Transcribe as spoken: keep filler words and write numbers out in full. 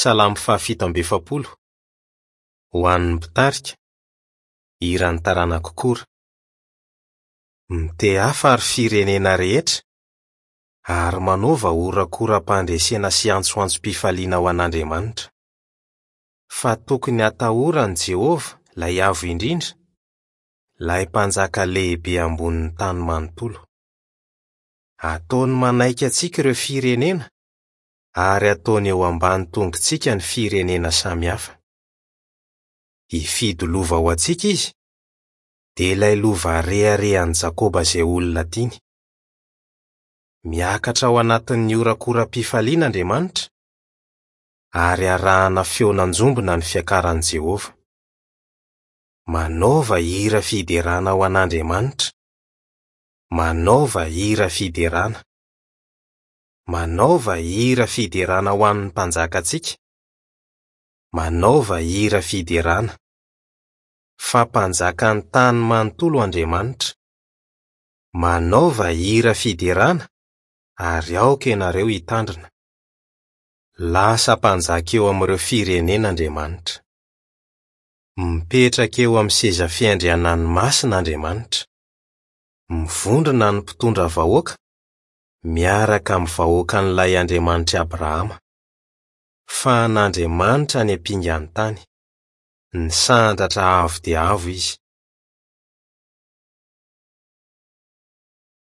Salamo fahafito amby efapolo. Ho an'ny mpitarika, hiran'ny taranak'i Kora. Mitehafa ry firenena rehetra, ary manaova horakoram-pandresena sy antsoantsom-pifaliana ho an'Andriamanitra. Fa tokony hatahoran'i Jehovah, ilay Avo Indrindra, ilay Mpanjaka lehibe ambonin'ny tany manontolo. Ataony manaiky antsika ireo firenena, ary ataony eo ambany tongotsika ny firenena samihafa. Hifidy lova ho antsika izy, dia ilay lova reharehan'i Jakoba izay olona tiany. Miakatra ao anatin'ny horakoram-pifaliana Andriamanitra, ary arahana feon'anjombona ny fiakaran'i Jehovah. Manaova hira fiderana ho an'Andriamanitra. Manaova hira fiderana. Manaova hira fiderana ho an'ny mpanjakantsika. Manaova hira fiderana. Fa mpanjakan'ny tany manontolo Andriamanitra. Manaova hira fiderana ary aoka ianareo hitandrina. Lasa mpanjaka eo amin'ireo firenena Andriamanitra. Mipetraka eo amin'ny seza fiandrianany masina Andriamanitra. Mivondrona ny mpitondra vahoaka miaraka amin'ny vahoakan'ilay Andriamanitr'i Abrahama. Fa an'Andriamanitra ny ampingan'ny tany. Nisandratra avo dia avo izy.